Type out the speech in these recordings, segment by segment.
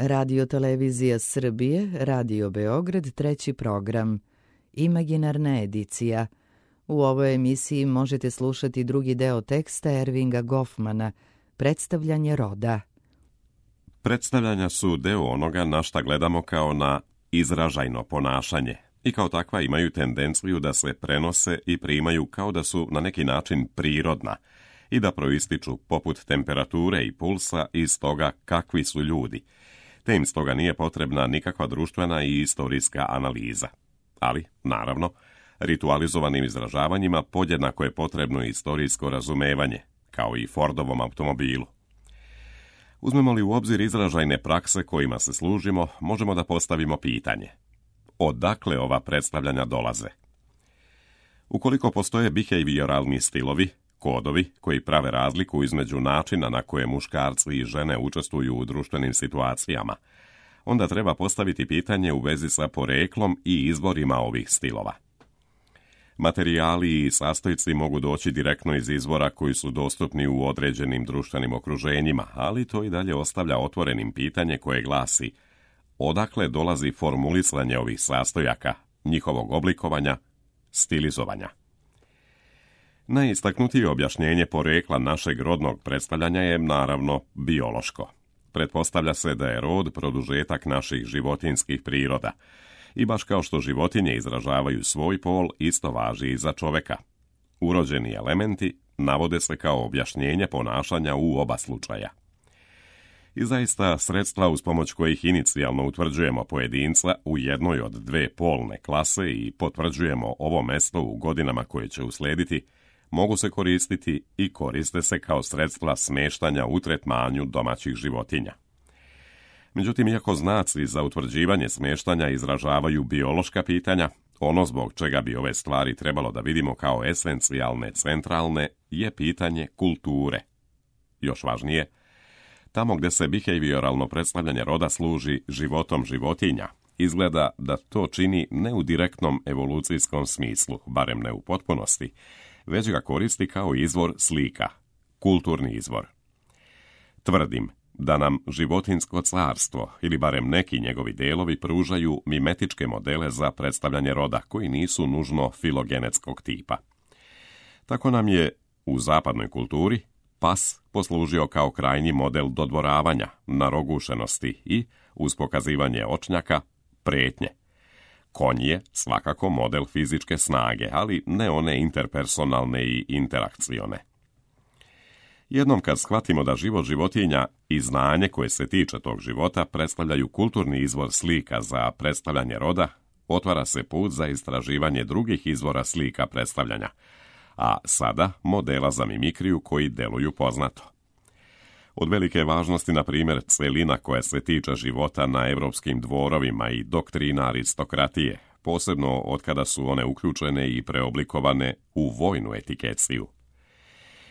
Radio Televizija Srbije, Radio Beograd, treći program. Imaginarna edicija. U ovoj emisiji možete slušati drugi deo teksta Ervinga Goffmana, Predstavljanje roda. Predstavljanja su deo onoga na šta gledamo kao na izražajno ponašanje i kao takva imaju tendenciju da se prenose i primaju kao da su na neki način prirodna i da proističu poput temperature i pulsa iz toga kakvi su ljudi, te im stoga nije potrebna nikakva društvena i istorijska analiza. Ali, naravno, ritualizovanim izražavanjima podjednako je potrebno istorijsko razumevanje, kao i Fordovom automobilu. Uzmemo li u obzir izražajne prakse kojima se služimo, možemo da postavimo pitanje: odakle ova predstavljanja dolaze? Ukoliko postoje behavioralni stilovi, kodovi koji prave razliku između načina na koje muškarci i žene učestvuju u društvenim situacijama, onda treba postaviti pitanje u vezi sa poreklom i izvorima ovih stilova. Materijali i sastojci mogu doći direktno iz izvora koji su dostupni u određenim društvenim okruženjima, ali to i dalje ostavlja otvorenim pitanje koje glasi: odakle dolazi formulisanje ovih sastojaka, njihovog oblikovanja, stilizovanja? Najistaknutije objašnjenje porekla našeg rodnog predstavljanja je naravno biološko. Pretpostavlja se da je rod produžetak naših životinjskih priroda. I baš kao što životinje izražavaju svoj pol, isto važi i za čoveka. Urođeni elementi navode se kao objašnjenje ponašanja u oba slučaja. I zaista sredstva uz pomoć kojih inicijalno utvrđujemo pojedinca u jednoj od dve polne klase i potvrđujemo ovo mesto u godinama koje će uslediti, mogu se koristiti i koriste se kao sredstva smeštanja u tretmanju domaćih životinja. Međutim, iako znaci za utvrđivanje smeštanja izražavaju biološka pitanja, ono zbog čega bi ove stvari trebalo da vidimo kao esencijalne, centralne, je pitanje kulture. Još važnije, tamo gdje se behavioralno predstavljanje roda služi životom životinja, izgleda da to čini ne u direktnom evolucijskom smislu, barem ne u potpunosti, već ga koristi kao izvor slika, kulturni izvor. Tvrdim da nam životinjsko carstvo, ili barem neki njegovi delovi, pružaju mimetičke modele za predstavljanje roda koji nisu nužno filogenetskog tipa. Tako nam je u zapadnoj kulturi pas poslužio kao krajnji model dodvoravanja, narogušenosti i, uz pokazivanje očnjaka, pretnje. Konj je svakako model fizičke snage, ali ne one interpersonalne i interakcione. Jednom kad shvatimo da život životinja i znanje koje se tiče tog života predstavljaju kulturni izvor slika za predstavljanje roda, otvara se put za istraživanje drugih izvora slika predstavljanja, a sada modela za mimikriju koji deluju poznato. Od velike važnosti, na primjer, celina koja se tiče života na evropskim dvorovima i doktrina aristokratije, posebno od kada su one uključene i preoblikovane u vojnu etikeciju.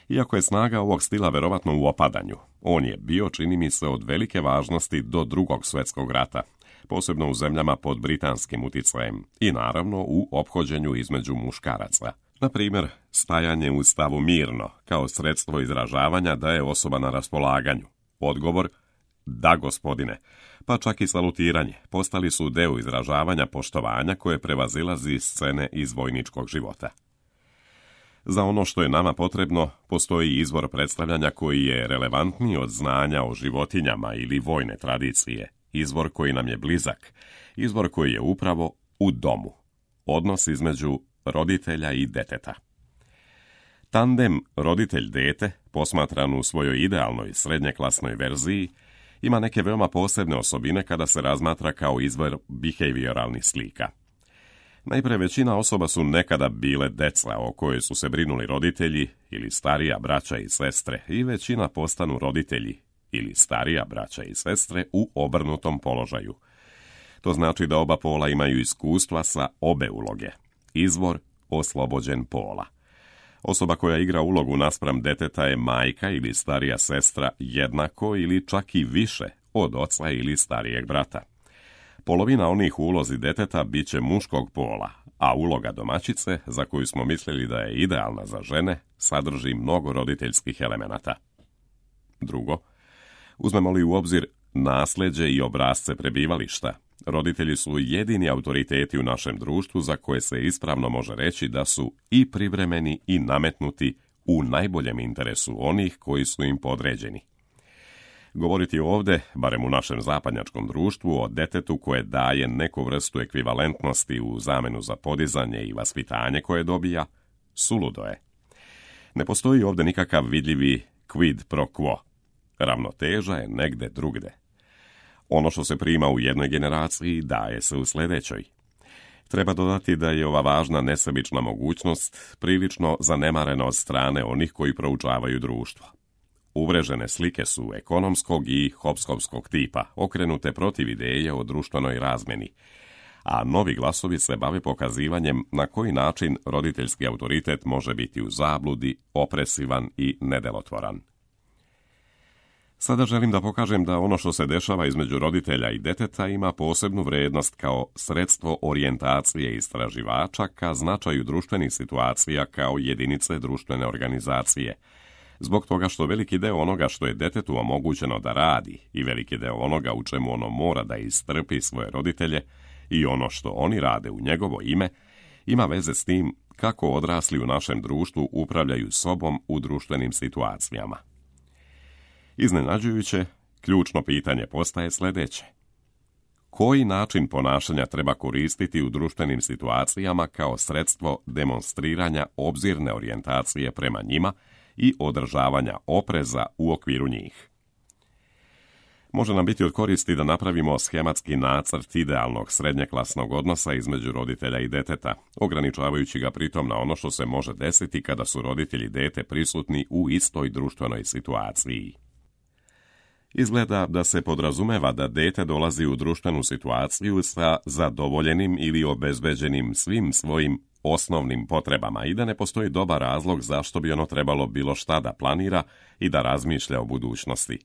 Iako je snaga ovog stila verovatno u opadanju, on je bio, čini mi se, od velike važnosti do Drugog svjetskog rata, posebno u zemljama pod britanskim uticajem i naravno u ophođenju između muškaraca. Na primjer, stajanje u stavu mirno kao sredstvo izražavanja da je osoba na raspolaganju. Odgovor: da, gospodine, pa čak i salutiranje postali su deo izražavanja poštovanja koje prevazilazi scene iz vojničkog života. Za ono što je nama potrebno, postoji izvor predstavljanja koji je relevantniji od znanja o životinjama ili vojne tradicije, izvor koji nam je blizak, izvor koji je upravo u domu, odnos između roditelja i deteta. Tandem roditelj-dete, posmatran u svojoj idealnoj srednjeklasnoj verziji, ima neke veoma posebne osobine kada se razmatra kao izvor behavioralnih slika. Najpre, većina osoba su nekada bile deca o kojoj su se brinuli roditelji ili starija braća i sestre, i većina postanu roditelji ili starija braća i sestre u obrnutom položaju. To znači da oba pola imaju iskustva sa obe uloge. Izvor oslobođen pola. Osoba koja igra ulogu naspram deteta je majka ili starija sestra jednako ili čak i više od oca ili starijeg brata. Polovina onih u ulozi deteta bit će muškog pola, a uloga domaćice, za koju smo mislili da je idealna za žene, sadrži mnogo roditeljskih elemenata. Drugo, uzmemo li u obzir nasljeđe i obrasce prebivališta, roditelji su jedini autoriteti u našem društvu za koje se ispravno može reći da su i privremeni i nametnuti u najboljem interesu onih koji su im podređeni. Govoriti ovdje, barem u našem zapadnjačkom društvu, o detetu koje daje neku vrstu ekvivalentnosti u zamenu za podizanje i vaspitanje koje dobija, suludo je. Ne postoji ovdje nikakav vidljivi quid pro quo. Ravnoteža je negde drugde. Ono što se prima u jednoj generaciji daje se u sljedećoj. Treba dodati da je ova važna nesebična mogućnost prilično zanemarena od strane onih koji proučavaju društvo. Uvrežene slike su ekonomskog i hobskovskog tipa, okrenute protiv ideje o društvenoj razmjeni, a novi glasovi se bave pokazivanjem na koji način roditeljski autoritet može biti u zabludi, opresivan i nedelotvoran. Sada želim da pokažem da ono što se dešava između roditelja i deteta ima posebnu vrednost kao sredstvo orijentacije istraživača ka značaju društvenih situacija kao jedinice društvene organizacije, zbog toga što veliki deo onoga što je detetu omogućeno da radi i veliki deo onoga u čemu ono mora da istrpi svoje roditelje i ono što oni rade u njegovo ime, ima veze s tim kako odrasli u našem društvu upravljaju sobom u društvenim situacijama. Iznenađujuće, ključno pitanje postaje sljedeće. Koji način ponašanja treba koristiti u društvenim situacijama kao sredstvo demonstriranja obzirne orijentacije prema njima i održavanja opreza u okviru njih? Može nam biti od koristi da napravimo schematski nacrt idealnog srednjeklasnog odnosa između roditelja i deteta, ograničavajući ga pritom na ono što se može desiti kada su roditelji i dete prisutni u istoj društvenoj situaciji. Izgleda da se podrazumeva da dete dolazi u društvenu situaciju sa zadovoljenim ili obezbeđenim svim svojim osnovnim potrebama i da ne postoji dobar razlog zašto bi ono trebalo bilo šta da planira i da razmišlja o budućnosti.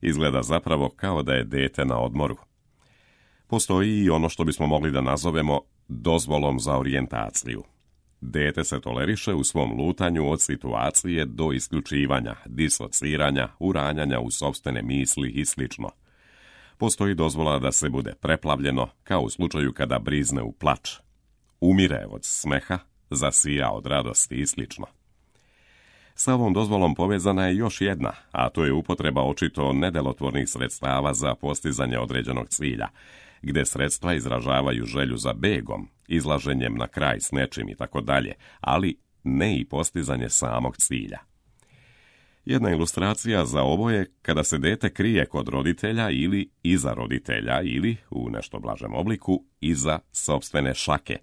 Izgleda zapravo kao da je dete na odmoru. Postoji i ono što bismo mogli da nazovemo dozvolom za orijentaciju. Dete se toleriše u svom lutanju od situacije do isključivanja, disociranja, uranjanja u sopstvene misli i sl. Postoji dozvola da se bude preplavljeno, kao u slučaju kada brizne u plač, umire od smeha, zasija od radosti i sl. Sa ovom dozvolom povezana je još jedna, a to je upotreba očito nedelotvornih sredstava za postizanje određenog cilja, gde sredstva izražavaju želju za begom, izlaženjem na kraj s nečim i tako dalje, ali ne i postizanje samog cilja. Jedna ilustracija za ovo je kada se dete krije kod roditelja ili iza roditelja ili, u nešto blažem obliku, iza sopstvene šake,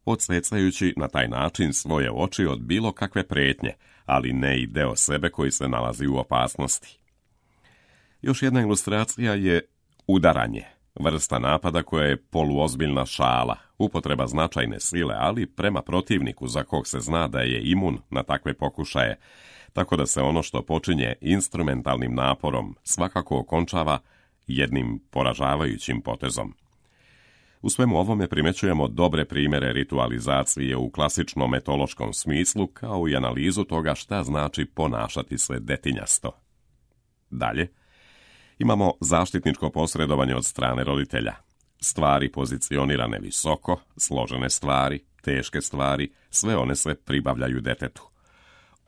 odsecajući na taj način svoje oči od bilo kakve prijetnje, ali ne i deo sebe koji se nalazi u opasnosti. Još jedna ilustracija je udaranje, vrsta napada koja je poluozbiljna šala, upotreba značajne sile, ali prema protivniku za kog se zna da je imun na takve pokušaje, tako da se ono što počinje instrumentalnim naporom svakako okončava jednim poražavajućim potezom. U svemu ovome primećujemo dobre primjere ritualizacije u klasičnom etološkom smislu, kao i analizu toga šta znači ponašati se detinjasto. Dalje, imamo zaštitničko posredovanje od strane roditelja. Stvari pozicionirane visoko, složene stvari, teške stvari, sve one se pribavljaju detetu.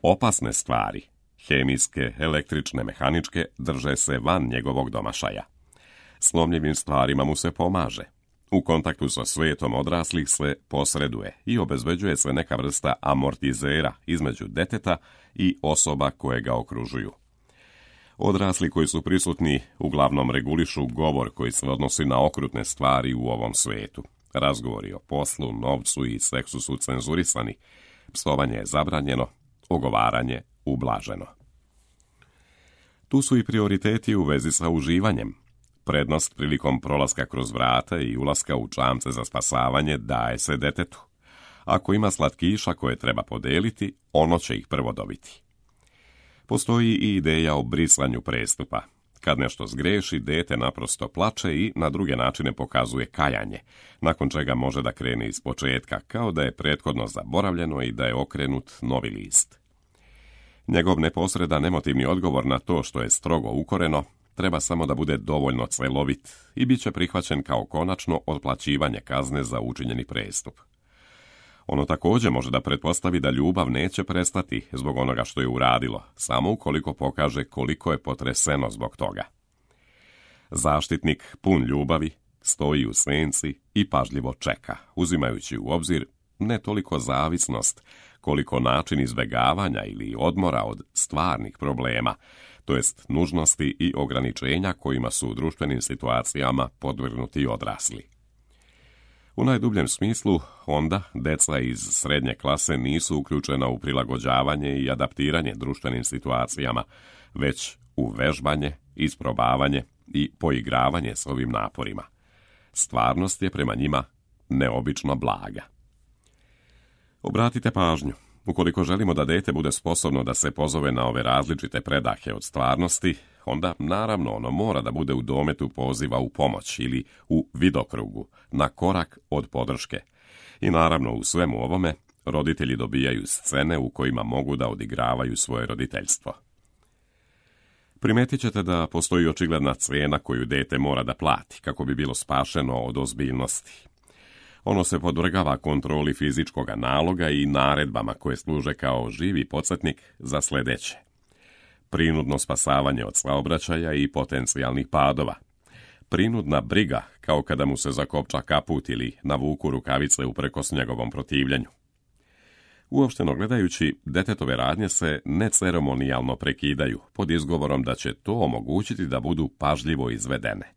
Opasne stvari, hemijske, električne, mehaničke, drže se van njegovog domašaja. Slomljivim stvarima mu se pomaže. U kontaktu sa svijetom odraslih se posreduje i obezbeđuje se neka vrsta amortizera između deteta i osoba koje ga okružuju. Odrasli koji su prisutni uglavnom regulišu govor koji se odnosi na okrutne stvari u ovom svijetu. Razgovori o poslu, novcu i seksu su cenzurisani, psovanje je zabranjeno, ogovaranje ublaženo. Tu su i prioriteti u vezi sa uživanjem. Prednost prilikom prolaska kroz vrata i ulaska u čamce za spasavanje daje se detetu. Ako ima slatkiša koje treba podeliti, ono će ih prvo dobiti. Postoji i ideja o brisanju prestupa. Kad nešto zgreši, dete naprosto plače i na druge načine pokazuje kajanje, nakon čega može da krene iz početka, kao da je prethodno zaboravljeno i da je okrenut novi list. Njegov neposredan emotivni odgovor na to što je strogo ukoreno treba samo da bude dovoljno celovit i bit će prihvaćen kao konačno otplaćivanje kazne za učinjeni prestup. Ono također može da pretpostavi da ljubav neće prestati zbog onoga što je uradilo, samo ukoliko pokaže koliko je potreseno zbog toga. Zaštitnik, pun ljubavi, stoji u senci i pažljivo čeka, uzimajući u obzir ne toliko zavisnost, koliko način izbjegavanja ili odmora od stvarnih problema, to jest nužnosti i ograničenja kojima su u društvenim situacijama podvrgnuti odrasli. U najdubljem smislu, onda deca iz srednje klase nisu uključena u prilagođavanje i adaptiranje društvenim situacijama, već u vežbanje, isprobavanje i poigravanje s ovim naporima. Stvarnost je prema njima neobično blaga. Obratite pažnju. Ukoliko želimo da dete bude sposobno da se pozove na ove različite predahe od stvarnosti, onda naravno ono mora da bude u dometu poziva u pomoć ili u vidokrugu, na korak od podrške. I naravno u svemu ovome roditelji dobijaju scene u kojima mogu da odigravaju svoje roditeljstvo. Primetit ćete da postoji očigledna cena koju dete mora da plati kako bi bilo spašeno od ozbiljnosti. Ono se podvrgava kontroli fizičkog naloga i naredbama koje služe kao živi podsjetnik za sljedeće. Prinudno spasavanje od saobraćaja i potencijalnih padova. Prinudna briga kao kada mu se zakopča kaput ili navuku rukavice uprkos njegovom protivljenju. Uopšteno gledajući, detetove radnje se neceremonijalno prekidaju pod izgovorom da će to omogućiti da budu pažljivo izvedene.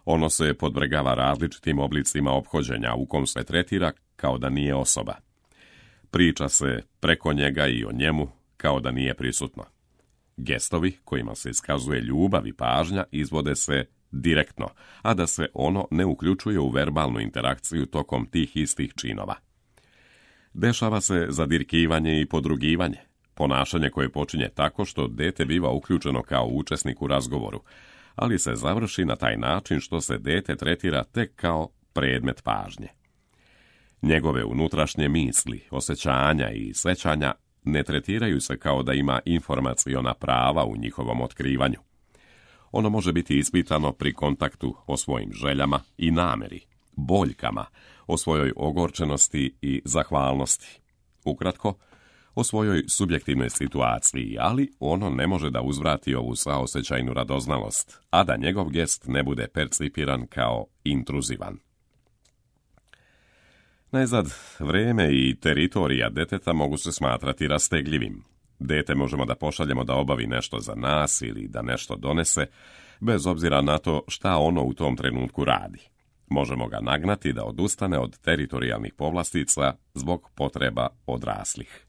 Ono se podvrgava različitim oblicima ophođenja u kom se tretira kao da nije osoba. Priča se preko njega i o njemu kao da nije prisutno. Gestovi kojima se iskazuje ljubav i pažnja izvode se direktno, a da se ono ne uključuje u verbalnu interakciju tokom tih istih činova. Dešava se zadirkivanje i podrugivanje, ponašanje koje počinje tako što dete biva uključeno kao učesnik u razgovoru, ali se završi na taj način što se dete tretira tek kao predmet pažnje. Njegove unutrašnje misli, osjećanja i sećanja ne tretiraju se kao da ima informaciona prava u njihovom otkrivanju. Ono može biti ispitano pri kontaktu o svojim željama i nameri, boljkama, o svojoj ogorčenosti i zahvalnosti. Ukratko, o svojoj subjektivnoj situaciji, ali ono ne može da uzvrati ovu saosećajnu radoznalost, a da njegov gest ne bude percipiran kao intruzivan. Najzad, vreme i teritorija deteta mogu se smatrati rastegljivim. Dete možemo da pošaljemo da obavi nešto za nas ili da nešto donese, bez obzira na to šta ono u tom trenutku radi. Možemo ga nagnati da odustane od teritorijalnih povlastica zbog potreba odraslih.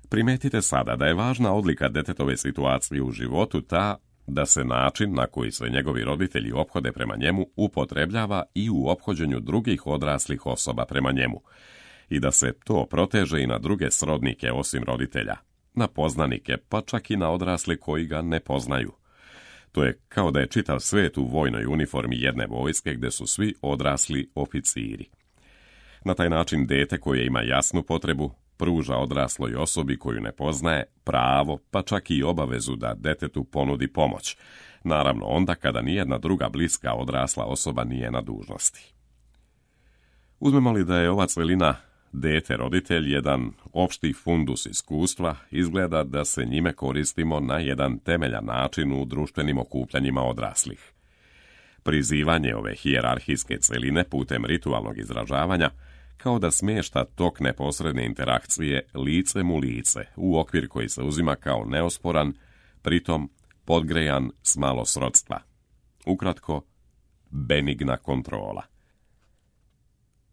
Primetite sada da je važna odlika detetove situacije u životu ta da se način na koji se njegovi roditelji ophode prema njemu upotrebljava i u ophođenju drugih odraslih osoba prema njemu i da se to proteže i na druge srodnike osim roditelja, na poznanike, pa čak i na odrasle koji ga ne poznaju. To je kao da je čitav svet u vojnoj uniformi jedne vojske gde su svi odrasli oficiri. Na taj način dete koje ima jasnu potrebu pruža odrasloj osobi koju ne poznaje pravo, pa čak i obavezu da detetu ponudi pomoć, naravno onda kada nijedna druga bliska odrasla osoba nije na dužnosti. Uzmemo li da je ova celina dete-roditelj jedan opšti fundus iskustva, izgleda da se njime koristimo na jedan temeljan način u društvenim okupljanjima odraslih. Prizivanje ove hijerarhijske celine putem ritualnog izražavanja kao da smješta tok neposredne interakcije licem u lice u okvir koji se uzima kao neosporan, pritom podgrejan s malo srodstva. Ukratko, benigna kontrola.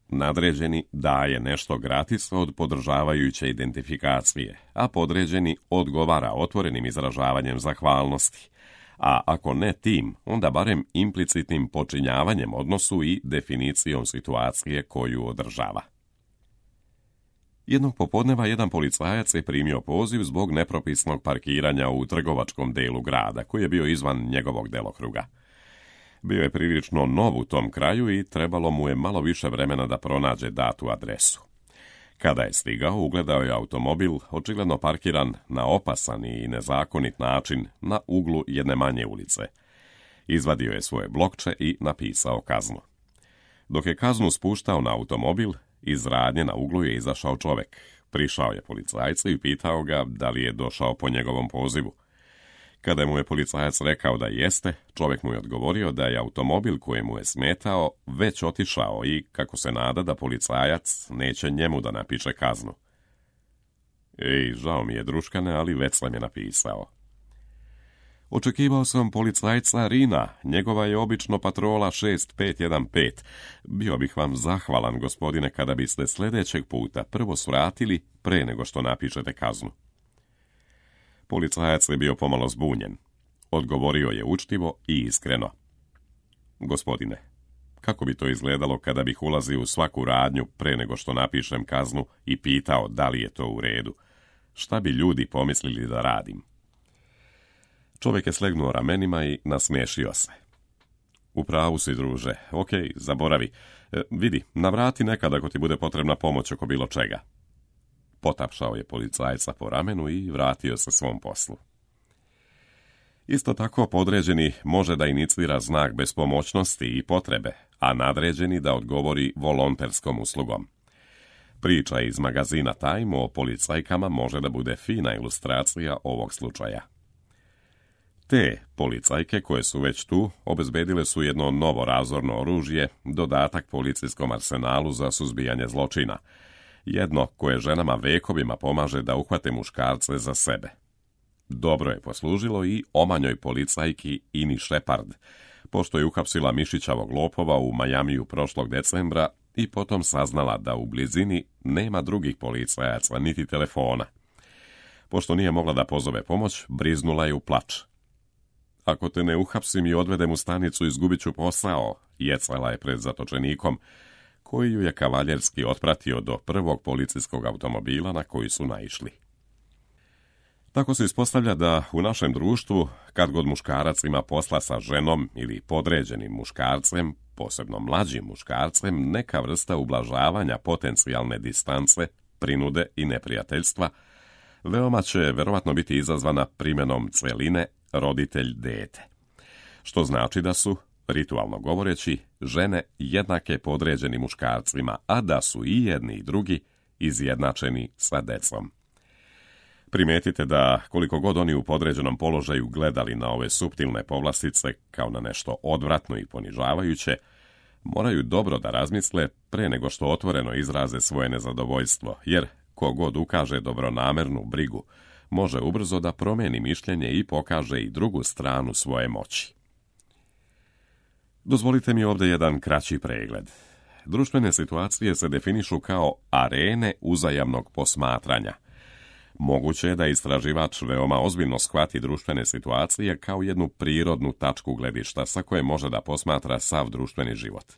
Nadređeni daje nešto gratis od podržavajuće identifikacije, a podređeni odgovara otvorenim izražavanjem zahvalnosti, a ako ne tim, onda barem implicitnim počinjavanjem odnosu i definicijom situacije koju održava. Jednog popodneva jedan policajac je primio poziv zbog nepropisnog parkiranja u trgovačkom delu grada, koji je bio izvan njegovog delokruga. Bio je prilično nov u tom kraju i trebalo mu je malo više vremena da pronađe datu adresu. Kada je stigao, ugledao je automobil, očigledno parkiran na opasan i nezakonit način na uglu jedne manje ulice. Izvadio je svoje blokče i napisao kaznu. Dok je kaznu spuštao na automobil, iz radnje na uglu je izašao čovjek. Prišao je policajcu i pitao ga da li je došao po njegovom pozivu. Kada mu je policajac rekao da jeste, čovjek mu je odgovorio da je automobil koji mu je smetao već otišao i kako se nada da policajac neće njemu da napiše kaznu. Ej, žao mi je, druškane, ali već sam je napisao. Očekivao sam policajca Rina, njegova je obično patrola 6515. Bio bih vam zahvalan, gospodine, kada biste sljedećeg puta prvo svratili pre nego što napišete kaznu. Policajac je bio pomalo zbunjen. Odgovorio je učtivo i iskreno. Gospodine, kako bi to izgledalo kada bih ulazio u svaku radnju pre nego što napišem kaznu i pitao da li je to u redu? Šta bi ljudi pomislili da radim? Čovjek je slegnuo ramenima i nasmiješio se. U pravu si, druže. Okej, zaboravi. Vidi, navrati nekad ako ti bude potrebna pomoć oko bilo čega. Potapšao je policajca po ramenu i vratio se svom poslu. Isto tako, podređeni može da inicira znak bespomoćnosti i potrebe, a nadređeni da odgovori volonterskom uslugom. Priča iz magazina Time o policajkama može da bude fina ilustracija ovog slučaja. Te policajke koje su već tu obezbedile su jedno novo razorno oružje, dodatak policijskom arsenalu za suzbijanje zločina, jedno koje ženama vekovima pomaže da uhvate muškarce za sebe. Dobro je poslužilo i omanjoj policajki Ini Shepard, pošto je uhapsila mišićavog lopova u Majamiju prošlog decembra i potom saznala da u blizini nema drugih policajaca niti telefona. Pošto nije mogla da pozove pomoć, briznula je u plač. Ako te ne uhapsim i odvedem u stanicu, izgubit ću posao, jecala je pred zatočenikom, koji ju je kavaljerski otpratio do prvog policijskog automobila na koji su naišli. Tako se ispostavlja da u našem društvu, kad god muškarac ima posla sa ženom ili podređenim muškarcem, posebno mlađim muškarcem, neka vrsta ublažavanja potencijalne distance, prinude i neprijateljstva, veoma će verovatno biti izazvana primjenom celine roditelj-dete. Što znači da su, ritualno govoreći, žene jednake podređeni muškarcima, a da su i jedni i drugi izjednačeni sa decom. Primetite da koliko god oni u podređenom položaju gledali na ove suptilne povlastice kao na nešto odvratno i ponižavajuće, moraju dobro da razmisle pre nego što otvoreno izraze svoje nezadovoljstvo, jer ko god ukaže dobronamernu brigu, može ubrzo da promeni mišljenje i pokaže i drugu stranu svoje moći. Dozvolite mi ovdje jedan kraći pregled. Društvene situacije se definišu kao arene uzajamnog posmatranja. Moguće je da istraživač veoma ozbiljno shvati društvene situacije kao jednu prirodnu tačku gledišta sa koje može da posmatra sav društveni život.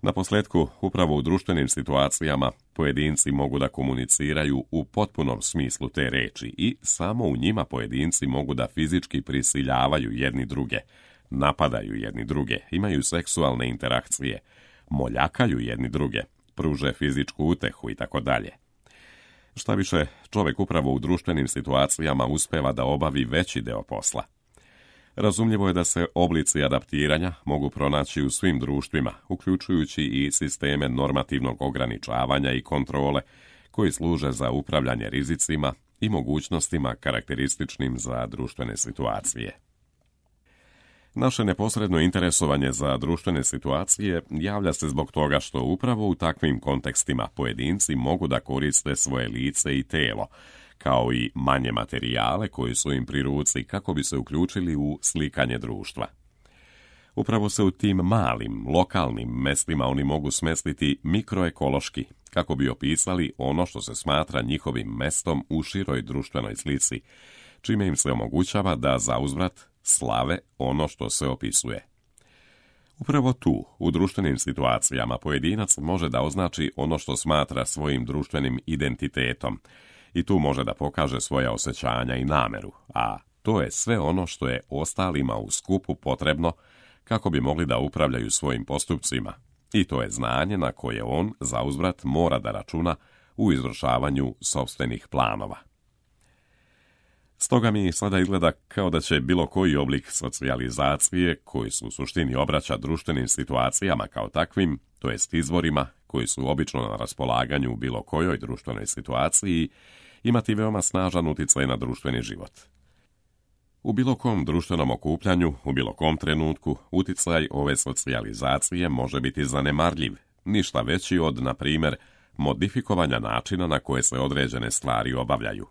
Naposljetku, upravo u društvenim situacijama pojedinci mogu da komuniciraju u potpunom smislu te reči i samo u njima pojedinci mogu da fizički prisiljavaju jedni druge, napadaju jedni druge, imaju seksualne interakcije, moljakaju jedni druge, pruže fizičku utehu i tako dalje. Šta više, čovjek upravo u društvenim situacijama uspeva da obavi veći deo posla. Razumljivo je da se oblici adaptiranja mogu pronaći u svim društvima, uključujući i sisteme normativnog ograničavanja i kontrole, koji služe za upravljanje rizicima i mogućnostima karakterističnim za društvene situacije. Naše neposredno interesovanje za društvene situacije javlja se zbog toga što upravo u takvim kontekstima pojedinci mogu da koriste svoje lice i telo, kao i manje materijale koji su im pri ruci kako bi se uključili u slikanje društva. Upravo se u tim malim, lokalnim mestima oni mogu smestiti mikroekološki, kako bi opisali ono što se smatra njihovim mestom u široj društvenoj slici, čime im se omogućava da zauzvrat slave ono što se opisuje. Upravo tu, u društvenim situacijama, pojedinac može da označi ono što smatra svojim društvenim identitetom i tu može da pokaže svoja osjećanja i nameru, a to je sve ono što je ostalima u skupu potrebno kako bi mogli da upravljaju svojim postupcima, i to je znanje na koje on, zauzvrat, mora da računa u izvršavanju sopstvenih planova. Stoga mi sada izgleda kao da će bilo koji oblik socijalizacije, koji su u suštini obraća društvenim situacijama kao takvim, to jest izvorima koji su obično na raspolaganju u bilo kojoj društvenoj situaciji, imati veoma snažan utjecaj na društveni život. U bilo kom društvenom okupljanju, u bilo kom trenutku, utjecaj ove socijalizacije može biti zanemarljiv, ništa veći od, na primjer, modifikovanja načina na koje se određene stvari obavljaju.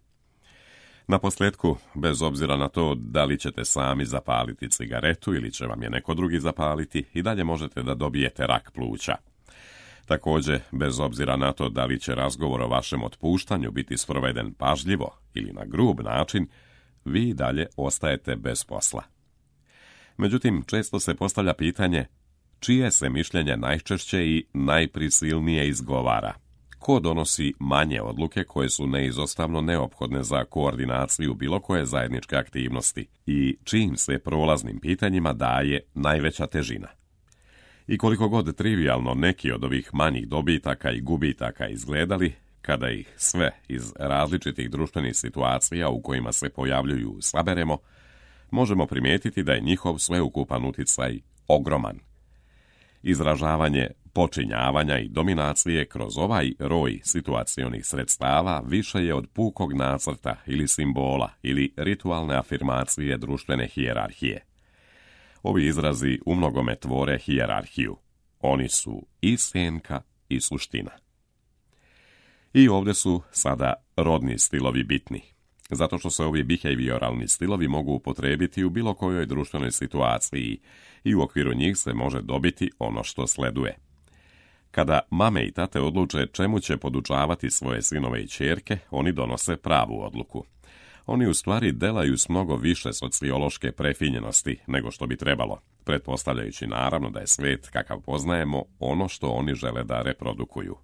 Naposljetku, bez obzira na to da li ćete sami zapaliti cigaretu ili će vam je neko drugi zapaliti, i dalje možete da dobijete rak pluća. Također, bez obzira na to da li će razgovor o vašem otpuštanju biti sproveden pažljivo ili na grub način, vi dalje ostajete bez posla. Međutim, često se postavlja pitanje čije se mišljenje najčešće i najprisilnije izgovara. Ko donosi manje odluke koje su neizostavno neophodne za koordinaciju bilo koje zajedničke aktivnosti i čijim se prolaznim pitanjima daje najveća težina. I koliko god trivijalno neki od ovih manjih dobitaka i gubitaka izgledali, kada ih sve iz različitih društvenih situacija u kojima se pojavljuju saberemo, možemo primijetiti da je njihov sveukupan utjecaj ogroman. Izražavanje počinjavanja i dominacije kroz ovaj roj situacionih sredstava više je od pukog nacrta ili simbola ili ritualne afirmacije društvene hijerarhije. Ovi izrazi umnogome tvore hijerarhiju. Oni su i senka i suština. I ovdje su sada rodni stilovi bitni, zato što se ovi behavioralni stilovi mogu upotrijebiti u bilo kojoj društvenoj situaciji i u okviru njih se može dobiti ono što sleduje. Kada mame i tate odluče čemu će podučavati svoje sinove i ćerke, oni donose pravu odluku. Oni u stvari delaju s mnogo više sociološke prefinjenosti nego što bi trebalo, pretpostavljajući naravno da je svijet kakav poznajemo ono što oni žele da reprodukuju.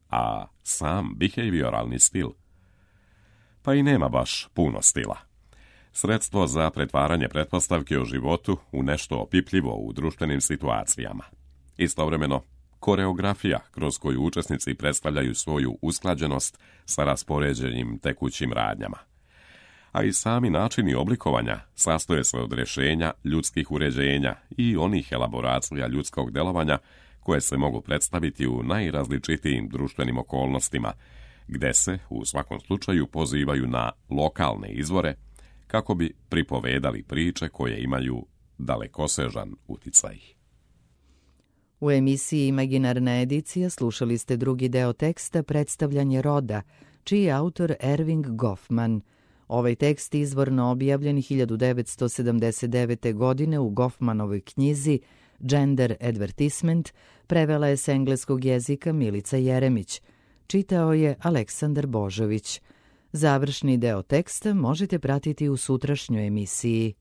A sam behavioralni stil? Pa i nema baš puno stila. Sredstvo za pretvaranje pretpostavke o životu u nešto opipljivo u društvenim situacijama. Istovremeno, koreografija kroz koju učesnici predstavljaju svoju usklađenost sa raspoređenim tekućim radnjama. A i sami načini oblikovanja sastoje se od rješenja ljudskih uređenja i onih elaboracija ljudskog delovanja koje se mogu predstaviti u najrazličitijim društvenim okolnostima, gde se, u svakom slučaju, pozivaju na lokalne izvore kako bi pripovedali priče koje imaju dalekosežan uticaj. U emisiji Imaginarna edicija slušali ste drugi deo teksta Predstavljanje roda, čiji je autor Erving Goffman. Ovaj tekst izvorno objavljen 1979. godine u Goffmanovoj knjizi Gender Advertisement prevela je s engleskog jezika Milica Jeremić. Čitao je Aleksandar Božović. Završni deo teksta možete pratiti u sutrašnjoj emisiji.